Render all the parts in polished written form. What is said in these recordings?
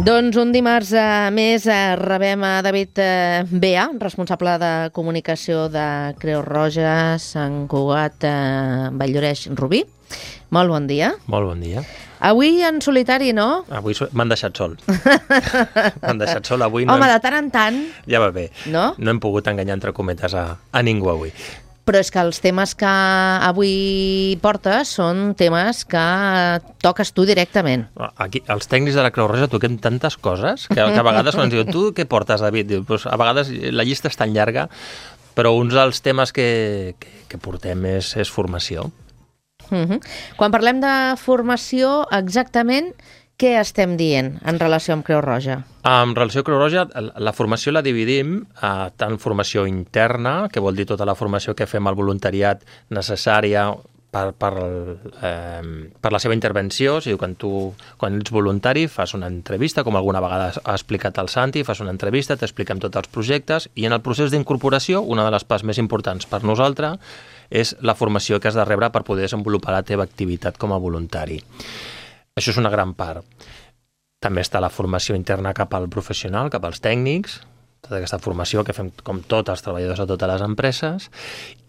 Doncs un dimarts més rebem a David Bea, responsable de comunicació de Creu Roja, Sant Cugat, Vall-lloreix, Rubí. Molt bon dia. Molt bon dia. Avui en solitari, no? Avui m'han deixat sol. M'han deixat sol avui. Home, de tant en tant. Ja va bé. No? No hem pogut enganyar, entre cometes, a ningú avui. Però és que els temes que avui portes són temes que toques tu directament. Aquí, els tècnics de la Creu Roja toquem tantes coses que a vegades quan ens diuen, tu què portes, David? Diu, pues, a vegades la llista és tan llarga, però uns dels temes que portem és formació. Quan parlem de formació, exactament què estem dient en relació amb Creu Roja? En relació amb Creu Roja, la formació la dividim a tant formació interna, que vol dir tota la formació que fem al voluntariat necessària per la seva intervenció. O sigui, quan ets voluntari fas una entrevista, com alguna vegada ha explicat el Santi, fas una entrevista, t'expliquem tots els projectes, i en el procés d'incorporació, una de les parts més importants per nosaltres és la formació que has de rebre per poder desenvolupar la teva activitat com a voluntari. Això és una gran part. També està la formació interna cap al professional, cap als tècnics, tota aquesta formació que fem com tots els treballadors de totes les empreses,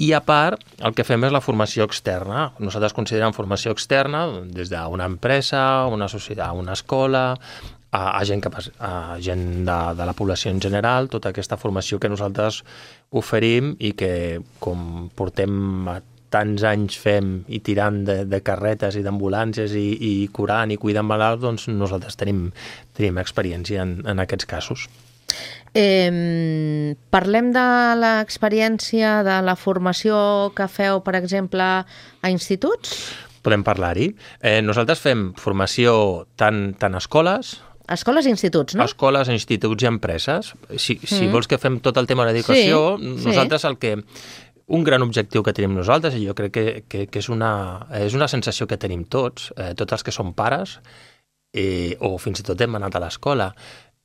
i a part el que fem és la formació externa. Nosaltres considerem formació externa des d'una empresa, una societat, una escola, a gent de la població en general, tota aquesta formació que nosaltres oferim i que com portem tants anys fem i tirant de carretes i d'ambulàncies i curant i cuidant malalts, doncs nosaltres tenim experiència en aquests casos. Parlem de l'experiència de la formació que feu, per exemple, a instituts? Podem parlar-hi. Nosaltres fem formació tant a escoles... Escoles i instituts, no? Escoles, instituts i empreses. Si vols que fem tot el tema de l'educació, nosaltres un gran objectiu que tenim nosaltres, i jo crec que és una sensació que tenim tots els que som pares, o fins i tot hem anat a l'escola,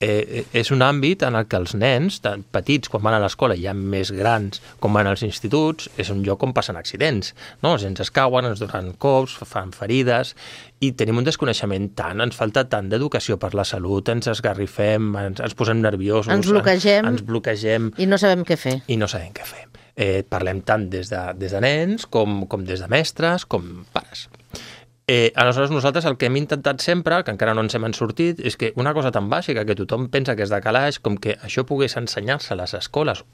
és un àmbit en el que els nens, tan petits quan van a l'escola, ja més grans com van als instituts, és un lloc on passen accidents, no? Els nens es cauen, ens donen cops, fan ferides, i tenim un desconeixement ens falta tant d'educació per la salut, ens esgarrifem, ens posem nerviosos, ens bloquegem i no sabem què fer. Parlem tant des de nens com des de mestres, com pares. Aleshores, nosaltres el que hem intentat sempre, que encara no ens hem sortit, és que una cosa tan bàsica que tothom pensa que és de calaix, com que això pogués ensenyar-se a les escoles,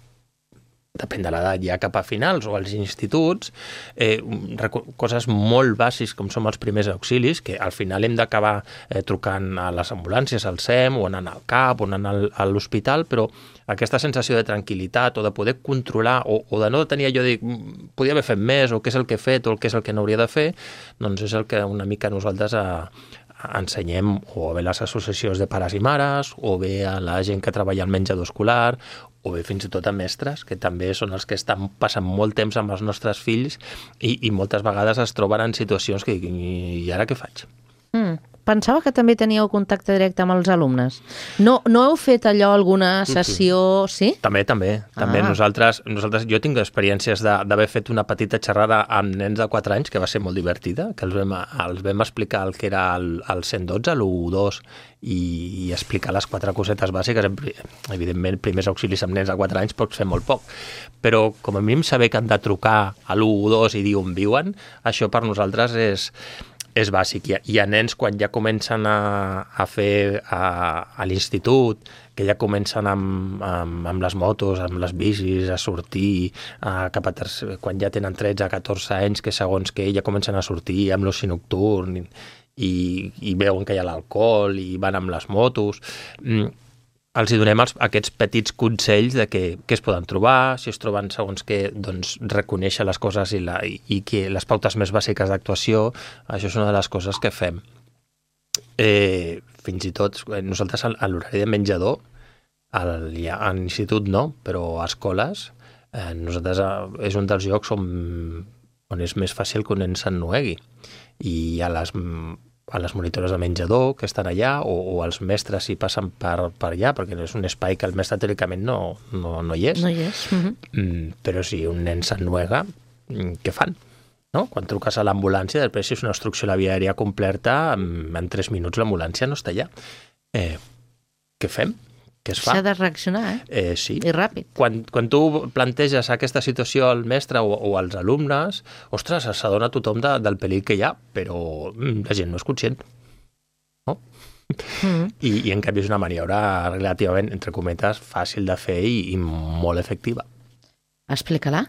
depèn de l'edat, ja cap a finals o als instituts, coses molt bàsiques com són els primers auxilis, que al final hem d'acabar trucant a les ambulàncies, al SEM, o anant al CAP, o anant a l'hospital, però aquesta sensació de tranquil·litat o de poder controlar o de no tenir allò de dir podia haver fet més o què és el que he fet o què és el que no hauria de fer, doncs és el que una mica nosaltres ensenyem o bé a les associacions de pares i mares o bé a la gent que treballa al menjador escolar o bé fins i tot a mestres, que també són els que estan passant molt temps amb els nostres fills i moltes vegades es troben en situacions que i ara què faig? Pensava que també teníeu contacte directe amb els alumnes. No heu fet allò, alguna sessió... Sí? També. Nosaltres, jo tinc experiències d'haver fet una petita xerrada amb nens de 4 anys, que va ser molt divertida, que els vam explicar el que era el 112, l'112, i explicar les 4 cosetes bàsiques. Evidentment, primers auxilis amb nens de 4 anys pots fer molt poc, però com a mínim saber que han de trucar a l'112 i dir on viuen, això per nosaltres és bàsic. Hi ha nens quan ja comencen a fer a l'institut, que ja comencen amb les motos, amb les bicis, a sortir, quan ja tenen 13-14 anys, que segons que ja comencen a sortir amb l'oci nocturn i veuen que hi ha l'alcohol i van amb les motos. Els hi donem aquests petits consells de què es poden trobar, si es troben segons què, doncs reconèixer les coses i que les pautes més bàsiques d'actuació, això és una de les coses que fem. Fins i tot, nosaltres a l'horari de menjador, a l'institut no, però a escoles, nosaltres és un dels llocs on és més fàcil que un nen s'ennuegui. I a les monitores de menjador que estan allà o els mestres si passen per allà, perquè és un espai que el mestre teòricament no hi és. No hi és. Però si un nen s'ennuega, què fan? No? Quan truques a l'ambulància, després si és una obstrucció a la via aèria completa, en 3 minuts l'ambulància no està allà. què fem? Què es fa? S'ha de reaccionar, Sí. I ràpid. Quan tu planteges aquesta situació al mestre o als alumnes, ostres, s'adona tothom del perill que hi ha, però la gent no és conscient. No? I en canvi és una maniobra relativament, entre cometes, fàcil de fer i molt efectiva. Explica-la.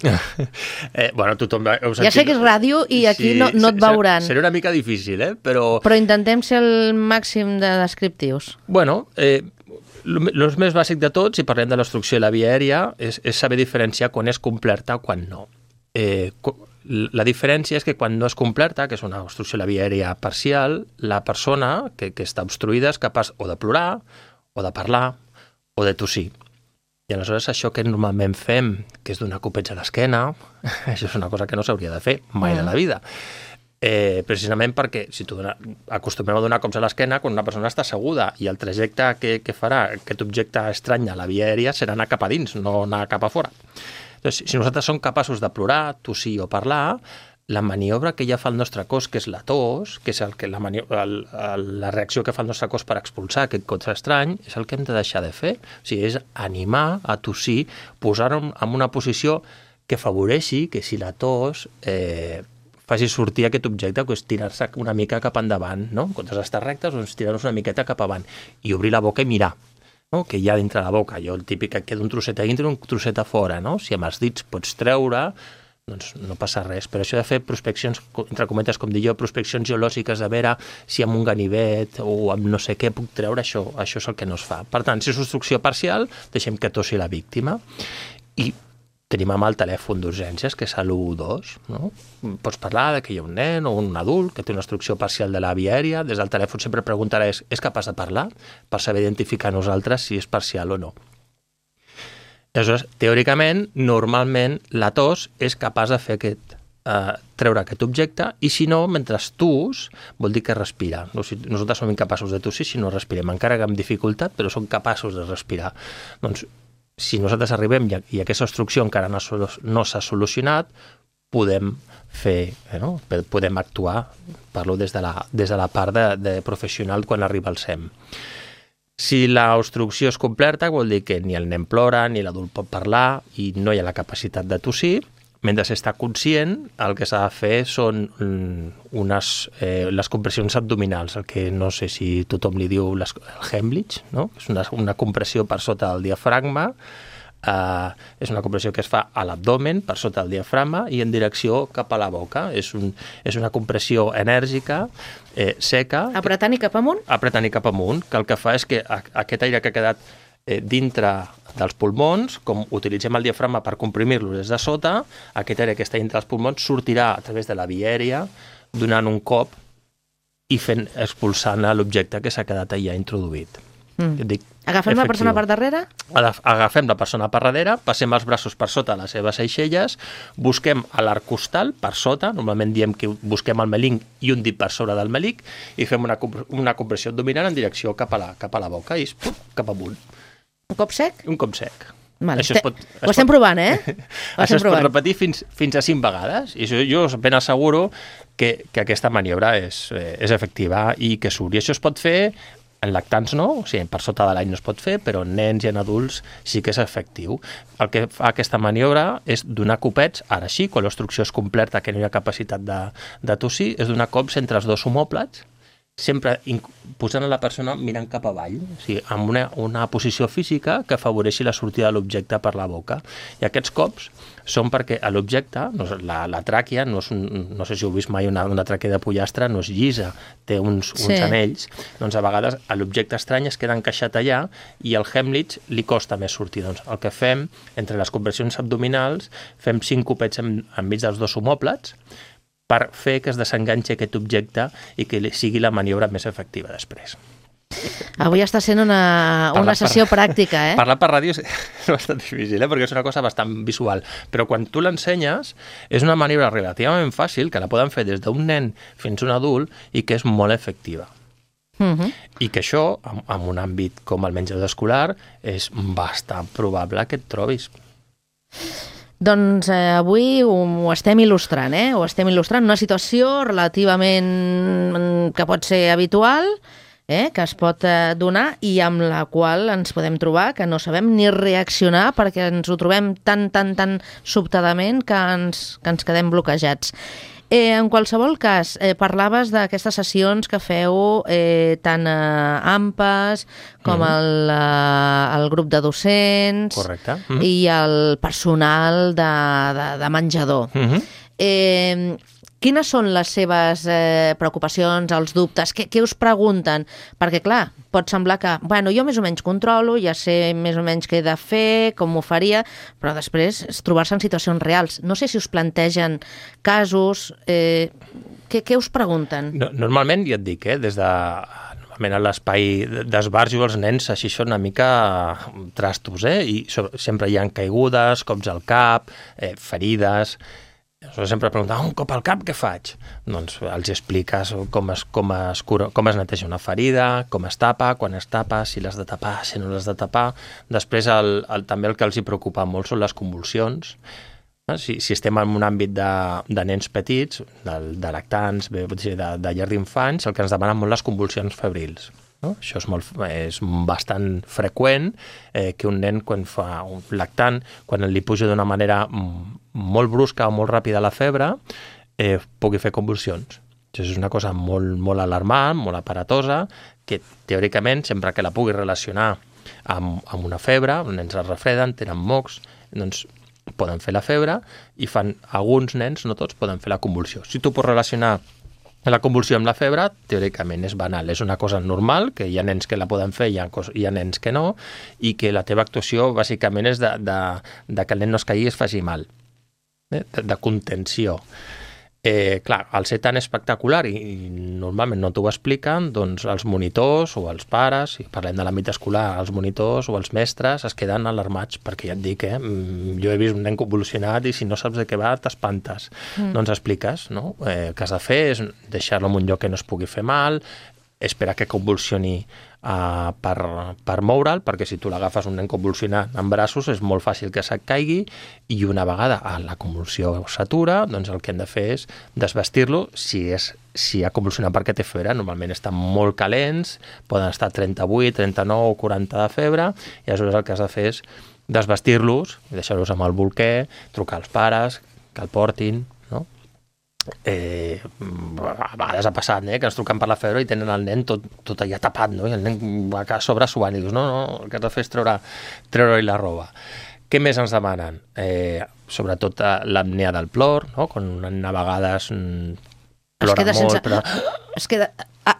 Bueno, tothom... Ja sé que és ràdio i aquí no et veuran. Serà una mica difícil, però... Però intentem ser el màxim de descriptius. Bueno, el més bàsic de tot, si parlem de l'obstrucció de la via aèria, és saber diferenciar quan és complerta o quan no. La diferència és que quan no és complerta, que és una obstrucció de la via aèria parcial, la persona que està obstruïda és capaç o de plorar, o de parlar, o de tossir. I aleshores això que normalment fem, que és donar copets a l'esquena, això és una cosa que no s'hauria de fer mai de la vida. Precisament perquè si acostumem a donar cops a l'esquena quan una persona està asseguda i el trajecte que farà aquest objecte estrany a la via aèria serà anar cap a dins, no anar cap a fora. Doncs, si nosaltres som capaços de plorar, tossir o parlar, la maniobra que ja fa el nostre cos, que és la tos, que és la reacció que fa el nostre cos per expulsar aquest cos estrany, és el que hem de deixar de fer. O sigui, és animar a tossir, posar-ho en una posició que afavoreixi que si la tos faci sortir aquest objecte, que és tirar-se una mica cap endavant, no? En comptes d'estar rectes, doncs tirar-nos una miqueta cap avant i obrir la boca i mirar, no? Que hi ha dintre la boca. Jo el típic que queda un trosset a dintre i un trosset a fora, no? Si amb els dits pots treure, doncs no passa res. Però això de fer prospeccions, entre cometes, com dic jo, prospeccions geològiques, de veure si amb un ganivet o amb no sé què puc treure, això és el que no es fa. Per tant, si és obstrucció parcial, deixem que tossi la víctima. I tenim amb el telèfon d'urgències, que és l'112, no? Pots parlar que hi ha un nen o un adult que té una obstrucció parcial de la via aèria, des del telèfon sempre preguntaràs, és capaç de parlar? Per saber identificar nosaltres si és parcial o no. Aleshores, teòricament, normalment, la tos és capaç de fer treure aquest objecte i, si no, mentre tus, vol dir que respira. Nosaltres som incapaços de tossir si no respirem, encara que amb dificultat, però som capaços de respirar. Doncs, si nosaltres arribem i aquesta obstrucció encara no s'ha solucionat, podem podem actuar, parlo des de la part de professional quan arriba al SEM. Si l'obstrucció és completa, vol dir que ni el nen plora, ni l'adult pot parlar i no hi ha la capacitat de tossir. Mentre s'està conscient, el que s'ha de fer són les compressions abdominals, el que no sé si tothom li diu el Heimlich, no? És una compressió per sota del diafragma, és una compressió que es fa a l'abdomen, per sota del diafragma, i en direcció cap a la boca. És una compressió enèrgica, seca. Apretant i cap amunt? Apretant i cap amunt, que el que fa és que aquest aire que ha quedat dintre dels pulmons, com utilitzem el diafragma per comprimir-lo des de sota, aquest aire que està dintre dels pulmons sortirà a través de la via aèria, donant un cop i expulsant l'objecte que s'ha quedat allà introduït. Agafem la persona per darrere? Agafem la persona per darrere, passem els braços per sota les seves aixelles, busquem a l'arc costal per sota, normalment diem que busquem el melic i un dit per sobre del melic, i fem una compressió abdominal en direcció cap a la boca i cap amunt. Un cop sec? Un cop sec. Vale. Ho estem provant, Això es pot repetir fins a 5 vegades, i jo ben asseguro que aquesta maniobra és efectiva i que surt. I això es pot fer en lactants no, o sigui, per sota de l'any no es pot fer, però en nens i en adults sí que és efectiu. El que fa aquesta maniobra és donar copets, ara sí, quan l'obstrucció és completa, que no hi ha capacitat de tossir, és donar cops entre els dos omòplats, sempre posant la persona mirant cap avall, o sigui, amb una posició física que afavoreixi la sortida de l'objecte per la boca. I aquests cops són perquè l'objecte, la tràquea, no sé si heu vist mai una tràquea de pollastre, no és llisa, té uns anells, doncs a vegades l'objecte estrany es queda encaixat allà i al Heimlich li costa més sortir. Doncs el que fem, entre les compressions abdominals, fem 5 copets enmig dels dos omòplats, per fer que es desenganxi aquest objecte i que sigui la maniobra més efectiva després. Avui està sent una sessió pràctica, Parlar per ràdio és bastant difícil, perquè és una cosa bastant visual, però quan tu l'ensenyes és una maniobra relativament fàcil, que la poden fer des d'un nen fins a un adult i que és molt efectiva. I que això, en un àmbit com el menjador escolar, és bastant probable que et trobis. Doncs avui ho estem il·lustrant, Ho estem il·lustrant una situació relativament que pot ser habitual, que es pot donar i amb la qual ens podem trobar que no sabem ni reaccionar perquè ens ho trobem tan sobtadament que ens quedem bloquejats. En qualsevol cas, parlaves d'aquestes sessions que feu tant a AMPAs com al grup de docents. Correcte. I el personal de menjador. Quines són les seves preocupacions, els dubtes? Què us pregunten? Perquè, clar, pot semblar que, jo més o menys controlo, ja sé més o menys què he de fer, com ho faria, però després trobar-se en situacions reals. No sé si us plantegen casos... Què us pregunten? Normalment, ja et dic, des de... Normalment a l'espai d'esbarjo els nens així són una mica trastos, i sempre hi ha caigudes, cops al cap, ferides... Sempre pregunten, un cop al cap, què faig? Doncs els expliques com es neteja una ferida, com es tapa, quan es tapa, si l'has de tapar, si no l'has de tapar. Després també el que els hi preocupa molt són les convulsions. Si estem en un àmbit de nens petits, de lactants, de llar d'infants, el que ens demanen molt les convulsions febrils. Això és bastant freqüent que un nen, quan fa un lactant, quan li puja d'una manera molt brusca o molt ràpida la febre, pugui fer convulsions. Això és una cosa molt alarmant, molt aparatosa, que teòricament, sempre que la pugui relacionar amb una febre, els nens es refreden, tenen mocs, doncs poden fer la febre i alguns nens, no tots, poden fer la convulsió. Si tu pots relacionar la convulsió amb la febre, teòricament és banal, és una cosa normal, que hi ha nens que la poden fer, hi ha nens que no, i que la teva actuació bàsicament és de que el nen no es caigui i es faci mal, de contenció. Clar, al ser tan espectacular i normalment no t'ho expliquen, doncs els monitors o els pares, si parlem de l'àmbit escolar, els monitors o els mestres es queden alarmats, perquè ja et dic, jo he vist un nen convulsionat i si no saps de què va t'espantes. Doncs expliques, no? El que has de fer és deixar-lo en un lloc que no es pugui fer mal, esperar que convulsioni per moure'l, perquè si tu l'agafes un nen convulsionat en braços és molt fàcil que se't caigui i una vegada la convulsió s'atura, doncs el que hem de fer és desvestir-lo si ha convulsionat perquè té febre. Normalment estan molt calents, poden estar 38, 39 o 40 de febre i aleshores el que has de fer és desvestir-los, deixar-los amb el bolquer, trucar als pares, que el portin, no? A vegades ha passat, que ens truquen per la febre i tenen el nen tot allà tapat, no? I el nen va a sobre suant i dius, no, el que has de fer és treure-li la roba. Què més ens demanen? Sobretot l'apnea del plor, no? Quan un nen a vegades plora molt, però... Es queda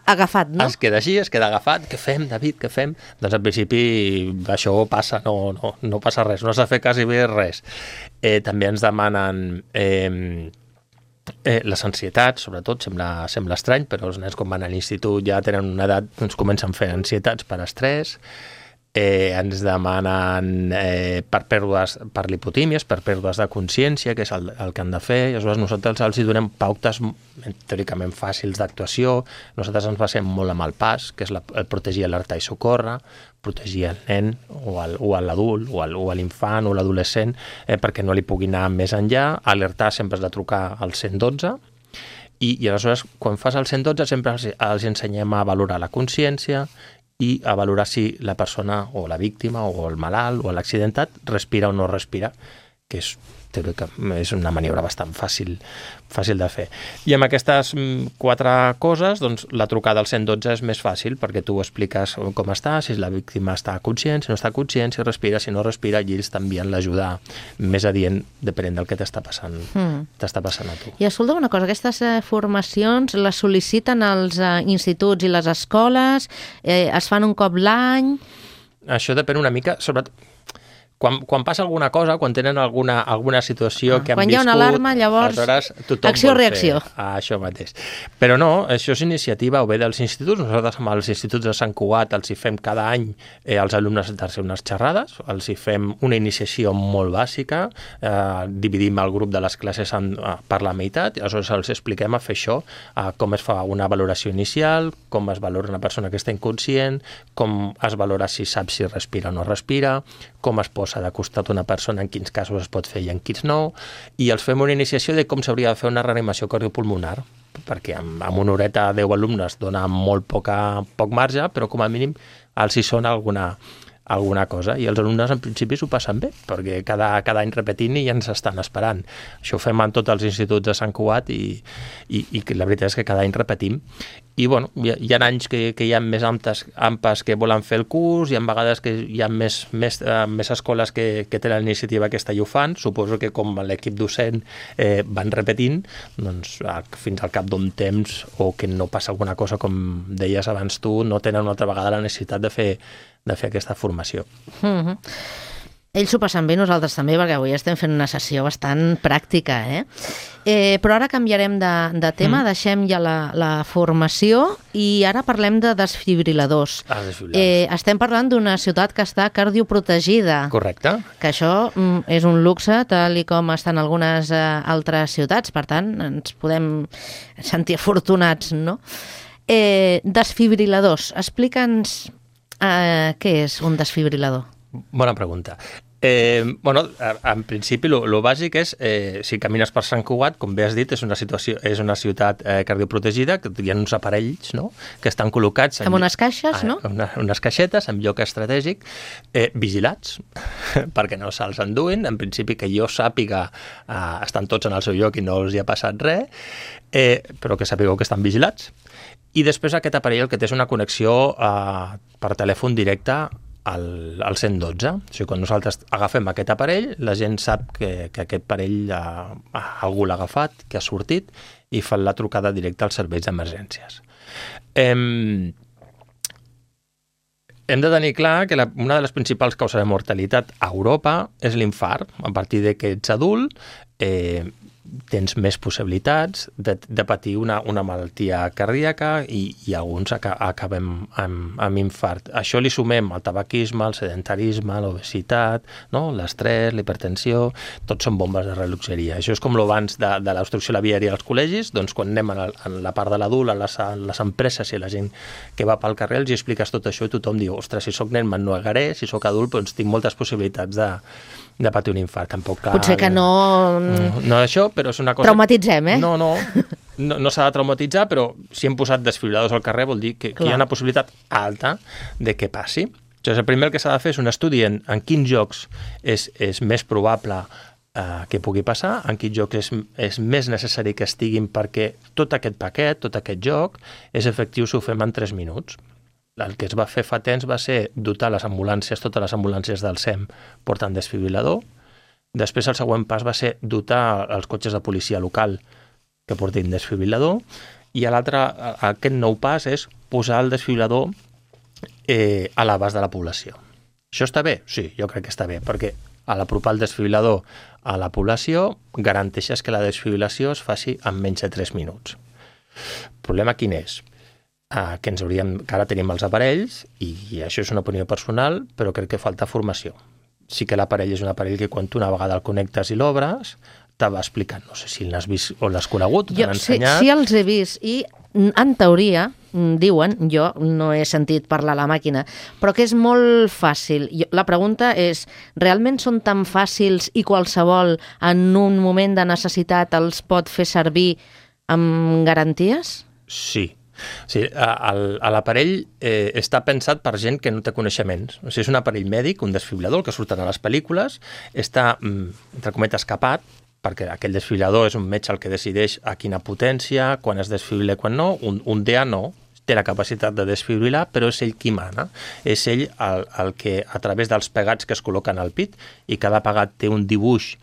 agafat, no? Es queda així, es queda agafat. Què fem, David, què fem? Doncs al principi això passa, no passa res, no s'ha fet quasi bé res. També ens demanen... les ansietats, sobretot, sembla estrany, però els nens quan van a l'institut ja tenen una edat, doncs comencen a fer ansietats per estrès, ens demanen per lipotímies, per pèrdues de consciència, que és el que han de fer, i aleshores nosaltres els donem pautes teòricament fàcils d'actuació. Nosaltres ens basem molt amb el PAS, que és el protegir, alertar i socórrer, protegir el nen o l'adult o l'infant o l'adolescent perquè no li pugui anar més enllà. Alertar sempre has de trucar al 112 i aleshores quan fas el 112 sempre els ensenyem a valorar la consciència i a valorar si la persona o la víctima o el malalt o l'accidentat respira o no respira, que és una maniobra bastant fàcil de fer. I amb aquestes 4 coses, doncs la trucada al 112 és més fàcil perquè tu expliques com està, si la víctima està conscient, si no està conscient, si respira, si no respira, i ells t'envien l'ajuda més adient depenent del que t'està passant a tu. I escolta una cosa, aquestes formacions les sol·liciten els instituts i les escoles, es fan un cop l'any? Això depèn una mica, sobretot quan passa alguna cosa, quan tenen alguna situació que han viscut... Quan hi ha una alarma, llavors acció-reacció. Això mateix. Però no, això és iniciativa o bé dels instituts. Nosaltres amb els instituts de Sant Cugat els hi fem cada any als alumnes de unes xerrades, els hi fem una iniciació molt bàsica, dividim el grup de les classes per la meitat, i aleshores els expliquem a fer això, com es fa una valoració inicial, com es valora una persona que està inconscient, com es valora si sap si respira o no respira, com es posa de costat una persona, en quins casos es pot fer i en quins no, i els fem una iniciació de com s'hauria de fer una reanimació cardiopulmonar, perquè amb una horeta 10 alumnes dona poc marge, però com a mínim els hi sona alguna cosa, i els alumnes en principi s'ho passen bé, perquè cada any repetint i ja ens estan esperant. Això ho fem en tots els instituts de Sant Cugat i la veritat és que cada any repetim. I bueno, hi ha anys que hi ha més AMPAs que volen fer el curs, hi ha vegades que hi ha més escoles que tenen l'iniciativa aquesta i ho fan. Suposo que com l'equip docent van repetint, doncs fins al cap d'un temps, o que no passa alguna cosa, com deies abans tu, no tenen una altra vegada la necessitat de fer aquesta formació. Ells s'ho passen bé, nosaltres també, perquè avui estem fent una sessió bastant pràctica, però ara canviarem de tema, deixem ja la formació i ara parlem de desfibriladors. Estem parlant d'una ciutat que està cardioprotegida. Correcte. Que això és un luxe, tal i com estan algunes altres ciutats, per tant, ens podem sentir afortunats, no? Desfibriladors, explica'ns què és un desfibrilador? Bona pregunta. En principi, el bàsic és, si camines per Sant Cugat, com bé has dit, és una ciutat cardioprotegida, que hi ha uns aparells, no?, que estan col·locats... Amb unes caixes, no? Unes caixetes, en lloc estratègic, vigilats, perquè no se'ls enduin. En principi, que jo sàpiga, estan tots en el seu lloc i no els hi ha passat res, però que sapigueu que estan vigilats. I després aquest aparell el que té és una connexió per telèfon directe al 112. O sigui, quan nosaltres agafem aquest aparell, la gent sap que aquest aparell algú l'ha agafat, que ha sortit, i fan la trucada directa als serveis d'emergències. Hem de tenir clar que una de les principals causes de mortalitat a Europa és l'infart. A partir de que ets adult, tens més possibilitats de patir una malaltia cardíaca i alguns acabem amb infart. Això li sumem el tabaquisme, el sedentarisme, l'obesitat, no?, l'estrès, la hipertensió, tots són bombes de rellotgeria. Això és com l'abans de l'obstrucció a la viària als col·legis, doncs quan anem en la part de l'adult, a les empreses i la gent que va pel carrer, els expliques tot això i tothom diu, ostres, si soc nen me'n negaré, si soc adult doncs tinc moltes possibilitats de patir un infart. Tampoc cal... Potser que no... No això, però és una cosa... Traumatitzem, No s'ha de traumatitzar, però si hem posat desfibriladors al carrer vol dir que hi ha una possibilitat alta de que passi. Llavors, el primer que s'ha de fer és un estudi en quins jocs és més probable que pugui passar, en quins jocs és més necessari que estiguin, perquè tot aquest paquet, tot aquest joc, és efectiu si ho fem en 3 minuts. El que es va fer fa temps va ser dotar les ambulàncies, totes les ambulàncies del SEM portant desfibrilador. Després el següent pas va ser dotar els cotxes de policia local que portin desfibrilador, i aquest nou pas és posar el desfibrilador a l'abast de la població. Això està bé? Sí, jo crec que està bé, perquè a l'apropar el desfibrilador a la població garanteixes que la desfibrilació es faci en menys de 3 minuts. El problema quin és? Que ara tenim els aparells, i això és una opinió personal, però crec que falta formació. Sí que l'aparell és un aparell que quan tu una vegada el connectes i l'obres, te va explicant. No sé si l'has vist o l'has conegut, t'han ensenyat... Sí, els he vist, i en teoria, diuen, jo no he sentit parlar a la màquina, però que és molt fàcil. La pregunta és, realment són tan fàcils i qualsevol en un moment de necessitat els pot fer servir amb garanties? Sí. Sí, l'aparell està pensat per gent que no té coneixements. O sigui, és un aparell mèdic, un desfibrilador, que surten a les pel·lícules, està, entre cometes, capat, perquè aquell desfibrilador és un metge el que decideix a quina potència, quan es desfibrila i quan no. Un DEA no, té la capacitat de desfibrilar, però és ell qui mana. És ell el que, a través dels pegats que es col·loquen al pit, i cada pegat té un dibuix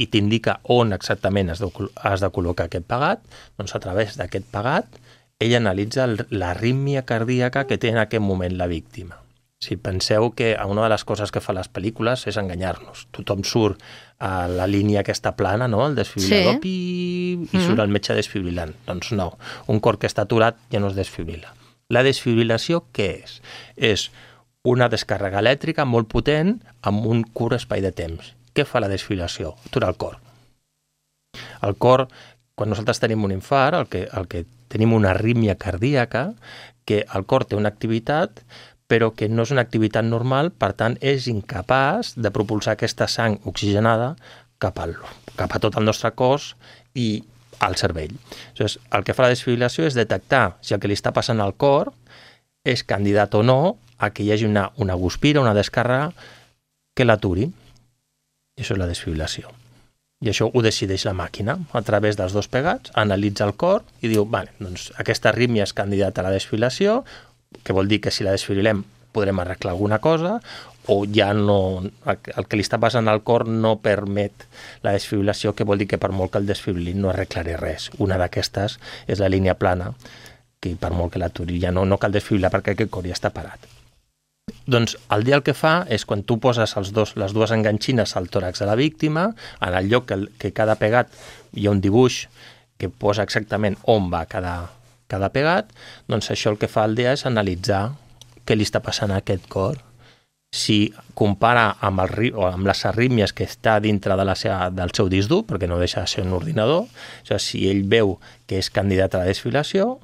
i t'indica on exactament has de col·locar aquest pegat, doncs a través d'aquest pegat ell analitza l'arrítmia cardíaca que té en aquest moment la víctima. Si penseu que una de les coses que fa les pel·lícules és enganyar-nos. Tothom surt a la línia aquesta plana, no?, el desfibrilador, i surt el metge desfibrilant. Doncs no, un cor que està aturat ja no es desfibrila. La desfibrilació què és? És una descàrrega elèctrica molt potent amb un curt espai de temps. Què fa la desfibrilació? Aturar el cor. El cor, quan nosaltres tenim un infart, el que tenim una arrítmia cardíaca, que el cor té una activitat, però que no és una activitat normal, per tant, és incapaç de propulsar aquesta sang oxigenada cap a tot el nostre cos, i al cervell. Aleshores, el que fa la desfibrilació és detectar si el que li està passant al cor és candidat o no a que hi hagi una guspira, una descàrrega que l'aturi. I això és la desfibrilació. I això ho decideix la màquina a través dels dos pegats, analitza el cor i diu, vale, doncs aquesta arrítmia és candidata a la desfibrilació, que vol dir que si la desfibrilem podrem arreglar alguna cosa, o ja no, el que li està passant al cor no permet la desfibrilació, que vol dir que per molt que el desfibrilin no arreglaré res. Una d'aquestes és la línia plana, que per molt que l'aturi ja no cal desfibrilar perquè aquest cor ja està parat. Doncs el dia el que fa és quan tu poses les dues enganxines al tòrax de la víctima, en el lloc que cada pegat hi ha un dibuix que posa exactament on va cada pegat, doncs això el que fa el dia és analitzar què li està passant a aquest cor. Si compara amb les arrítmies que està dintre del seu disc dur, perquè no deixa de ser un ordinador, si ell veu que és candidat a la desfibrilació,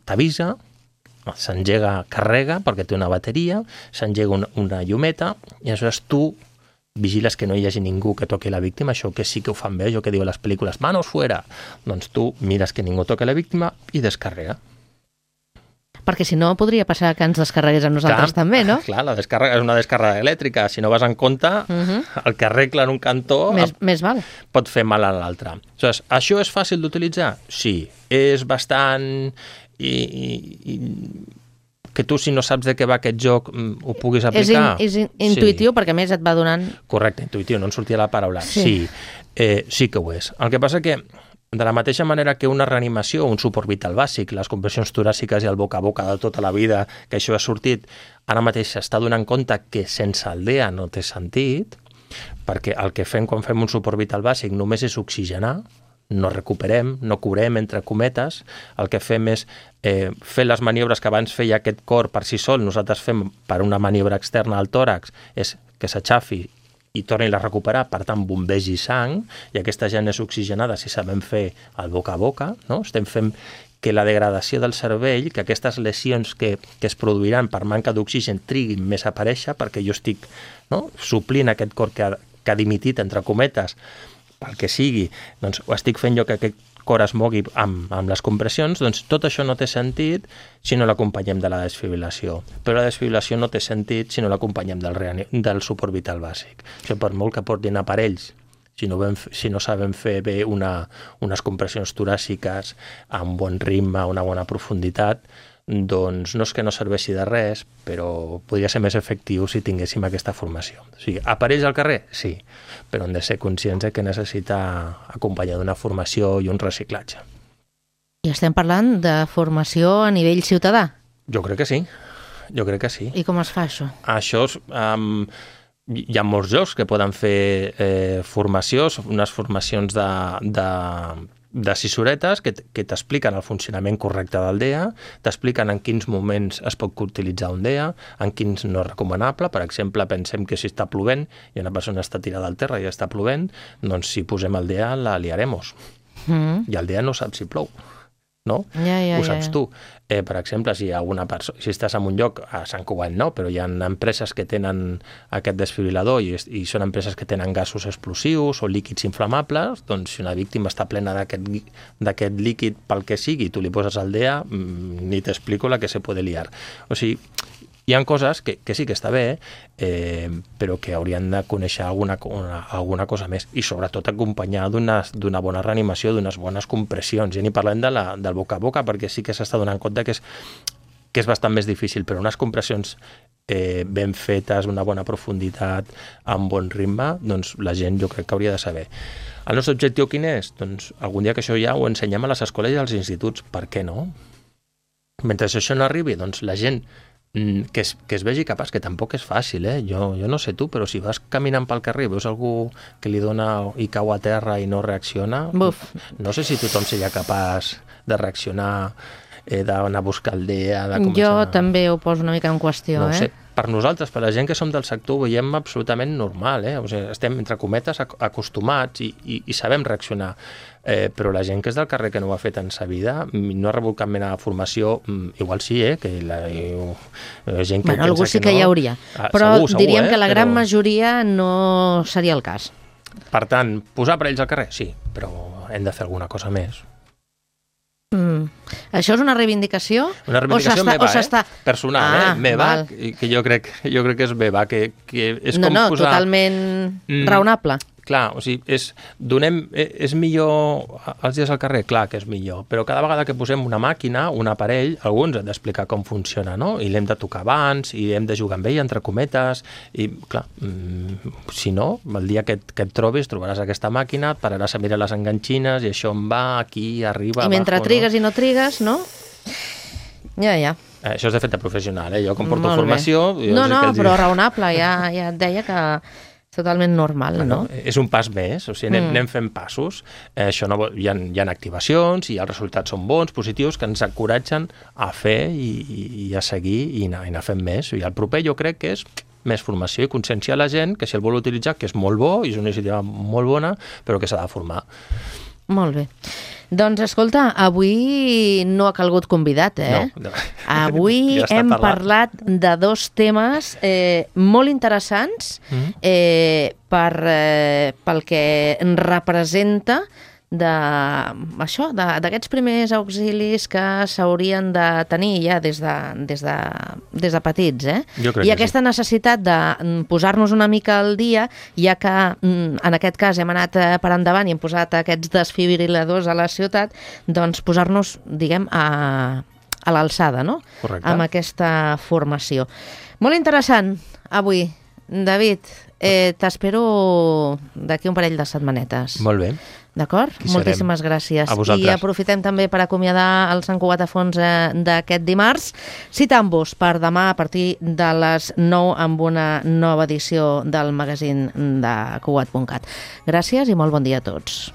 t'avisa, s'engega, carrega, perquè té una bateria, s'engega una llumeta, i aleshores tu vigiles que no hi hagi ningú que toqui la víctima, això que sí que ho fan bé, això que diuen les pel·lícules, manos fuera, doncs tu mires que ningú toqui la víctima i descarrega. Perquè si no podria passar que ens descarregués a nosaltres també, no? Clar, la descàrrega és una descàrrega elèctrica. Si no vas en compte, el que arregla en un cantó més val. Pot fer mal a l'altre. Aleshores, això és fàcil d'utilitzar? Sí. És bastant... que tu, si no saps de què va aquest joc, ho puguis aplicar? És intuïtiu, perquè a més et va donant... Correcte, intuïtiu, no en sortia la paraula. Sí, sí que ho és. El que passa que de la mateixa manera que una reanimació, un suport vital bàsic, les compressions toràciques i el boca a boca de tota la vida, que això ha sortit, ara mateix s'està donant compte que sense el DEA no té sentit, perquè el que fem quan fem un suport vital bàsic només és oxigenar, no recuperem, no curem, entre cometes, el que fem és fer les maniobres que abans feia aquest cor per si sol, nosaltres fem per una maniobra externa al tòrax, és que s'aixafi i torni a recuperar, per tant, bombegi sang, i aquesta gent és oxigenada si sabem fer el boca a boca, no? Estem fent que la degradació del cervell, que aquestes lesions que es produiran per manca d'oxigen triguin més a aparèixer, perquè jo estic suplint aquest cor que ha dimitit, entre cometes, pel que sigui, doncs ho estic fent jo que aquest cor es mogui amb les compressions, doncs tot això no té sentit si no l'acompanyem de la desfibrilació. Però la desfibrilació no té sentit si no l'acompanyem del suport vital bàsic. Això per molt que portin aparells, si no sabem fer bé unes compressions toràciques amb bon ritme, una bona profunditat, doncs no és que no serveixi de res, però podria ser més efectiu si tinguéssim aquesta formació. O sigui, aparells al carrer? Sí, però hem de ser conscients que necessita acompanyar d'una formació i un reciclatge. I estem parlant de formació a nivell ciutadà? Jo crec que sí. I com es fa això? Això és... hi ha molts llocs que poden fer formacions, unes formacions de sisoretes que t'expliquen el funcionament correcte del DEA, t'expliquen en quins moments es pot utilitzar un DEA, en quins no és recomanable. Per exemple, pensem que si està plovent i una persona està tirada al terra i està plovent, doncs si posem el DEA la liaremos. I el DEA no sap si plou, no? Ho saps tu. Per exemple, si estàs en un lloc, a Sant Cugat no, però hi ha empreses que tenen aquest desfibrilador i són empreses que tenen gasos explosius o líquids inflamables, doncs si una víctima està plena d'aquest líquid pel que sigui, tu li poses el DEA, ni t'explico la que se puede liar. O sigui, hi ha coses que sí que està bé, però que haurien de conèixer alguna cosa més, i sobretot acompanyar d'una bona reanimació, d'unes bones compressions. Ja ni parlem del boca a boca, perquè sí que s'està donant compte que és bastant més difícil, però unes compressions ben fetes, una bona profunditat, amb bon ritme, doncs la gent jo crec que hauria de saber. El nostre objectiu quin és? Doncs algun dia que això ja ho ensenyem a les escoles i als instituts, per què no? Mentre això no arribi, doncs la gent que es vegi capaç, que tampoc és fàcil, jo no sé tu, però si vas caminant pel carrer i veus algú que li dona i cau a terra i no reacciona, no sé si tothom seria capaç de reaccionar, d'anar a buscar el DEA, de començar... Jo també ho poso una mica en qüestió, No ho sé, per nosaltres, per la gent que som del sector, ho veiem absolutament normal, O sigui, estem, entre cometes, acostumats i sabem reaccionar. Però la gent que és del carrer, que no ho ha fet en sa vida, no ha rebut cap mena de formació, igual sí, que la gent que pensa que no... Algú sí que hi hauria, però diríem que la gran majoria no seria el cas. Per tant, posar aparells al carrer? Sí, però hem de fer alguna cosa més. Això és una reivindicació? Una reivindicació meva, personal, meva, val. que jo crec que és meva, que és com posar... totalment raonable. Clar, o sigui, és millor els dies al carrer? Clar que és millor, però cada vegada que posem una màquina, un aparell, algú ens ha d'explicar com funciona, no? I l'hem de tocar abans, i hem de jugar amb ell, entre cometes, i clar, si no, el dia que et trobis, trobaràs aquesta màquina, et pararàs a mirar les enganxines, i això em va, aquí, arriba, I mentre abajo, trigues i no trigues, no? Ja. Això és de fet de professional, Jo com porto formació... No, però raonable, ja et deia que... totalment normal, no? És un pas més, o sigui, anem fent passos. Això no, hi ha activacions i els resultats són bons, positius, que ens encoratgen a fer i a seguir i anar fent més. I el proper jo crec que és més formació i conscienciar la gent que si el vol utilitzar, que és molt bo, i és una iniciativa molt bona, però que s'ha de formar. Molt bé. Doncs, escolta, avui no ha calgut convidat, No. Avui hem parlat de dos temes molt interessants pel que representa d'aquests primers auxilis que s'haurien de tenir ja des de petits, I aquesta necessitat de posar-nos una mica al dia, ja que en aquest cas hem anat per endavant i hem posat aquests desfibriladors a la ciutat, doncs posar-nos, diguem, a l'alçada, no? Correcte. Amb aquesta formació. Molt interessant, avui. David, t'espero d'aquí un parell de setmanetes. Molt bé. D'acord? Moltíssimes gràcies. A vosaltres. I aprofitem també per acomiadar el Sant Cugat a Fons d'aquest dimarts, citant-vos per demà a partir de les 9 amb una nova edició del magazín de Cugat.cat. Gràcies i molt bon dia a tots.